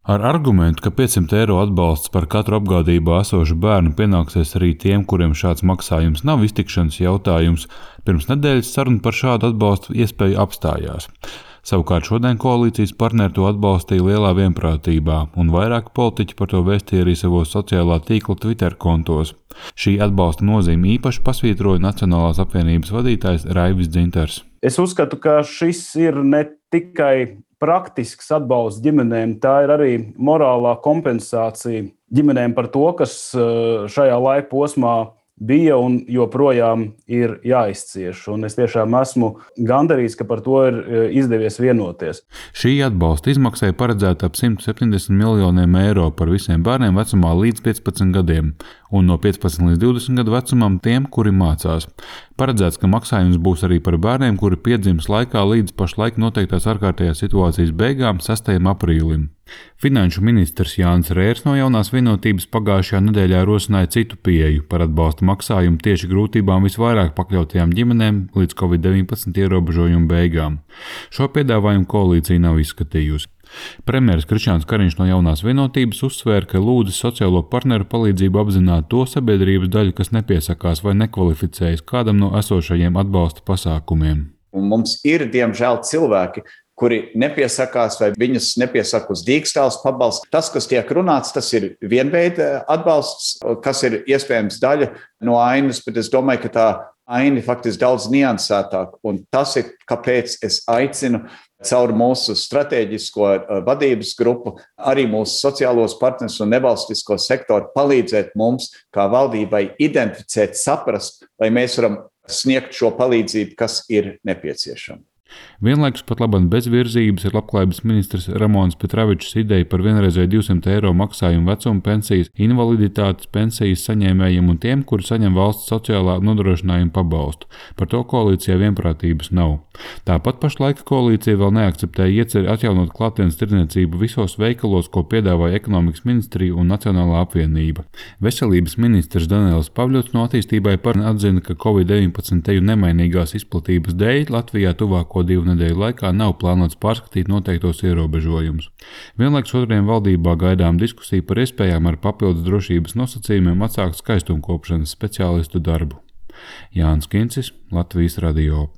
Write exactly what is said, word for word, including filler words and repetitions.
Ar argumentu, ka piecsimt eiro atbalsts par katru apgādībā esošu bērnu pienāksies arī tiem, kuriem šāds maksājums nav iztikšanas jautājums, pirms nedēļas saruna par šādu atbalstu iespēju apstājās. Savukārt šodien koalīcijas partneri to atbalstīja lielā vienprātībā, un vairāki politiķi par to vēstīja arī savos sociālā tīkla Twitter kontos. Šī atbalsta nozīmi īpaši pasvītroja Nacionālās apvienības vadītājs Raivis Dzintars. Es uzskatu, ka šis ir ne tikai praktisks atbalsts ģimenēm, tā ir arī morālā kompensācija ģimenēm par to, kas šajā laika posmā bija un joprojām ir jāizcieš. Un es tiešām esmu gandarīts, ka par to ir izdevies vienoties. Šī atbalsta izmaksai paredzēta ap simt septiņdesmit miljoniem eiro par visiem bērniem vecumā līdz piecpadsmit gadiem un no piecpadsmit līdz divdesmit gadu vecumam tiem, kuri mācās. Paredzēts, ka maksājums būs arī par bērniem, kuri piedzims laikā līdz pašlaik noteiktās ārkārtējās situācijas beigām sastajam aprīlim. Finanšu ministrs Jānis Rērs no Jaunās vienotības pagājušajā nedēļā rosināja citu pieeju par atbalsta maksājumu tieši grūtībām visvairāk pakļautajām ģimenēm līdz covid deviņpadsmit ierobežojumu beigām. Šo piedāvājumu koalīcija nav izskatījusi. Premjeras Krišjāns Kariņš no Jaunās vienotības uzsvēra, ka lūdzis sociālo partneru palīdzību apzināt to sabiedrības daļu, kas nepiesakās vai nekvalificējas kādam no esošajiem atbalsta pasākumiem. Un mums ir, diemžēl, cilvēki, kuri nepiesakās vai viņus nepiesaka uz dīkstāles pabalstu. Tas, kas tiek runāts, tas ir vienveida atbalsts, kas ir iespējams daļa no ainas, bet es domāju, ka tā aina faktiski daudz niansētāk. Un tas ir, kāpēc es aicinu caur mūsu strateģisko vadības grupu, arī mūsu sociālos partnerus un nevalstisko sektoru palīdzēt mums, kā valdībai, identificēt, saprast, lai mēs varam sniegt šo palīdzību, kas ir nepieciešama. Vienlaikus pat labāk bez virzības ir labklājības ministrs Ramons Petravičs ideja par vienreizēju divsimt eiro maksājumu vecuma pensijas, invaliditātes pensijas saņēmējiem un tiem, kuri saņem valsts sociālā nodrošinājuma pabalstu. Par to koalīcijā vienprātības nav. Tāpat pašlaik koalīcija vēl neakceptēja ieceri atjaunot klātienes tirdzniecību visos veikalos, ko piedāvāja ekonomikas ministrija un Nacionālā apvienība. Veselības ministrs Daniels Pavļots no attīstībai par atzina, ka covid deviņpadsmit nemainīgās izplatības dēļ Latvijā tuvāko divu nedēļu laikā nav plānots pārskatīt noteiktos ierobežojumus. Vienlaikus otriem valdībā gaidām diskusiju par iespējām ar papildus drošības nosacījumiem atsākt skaistumkopšanas speciālistu darbu. Jānis Kincis, Latvijas radio.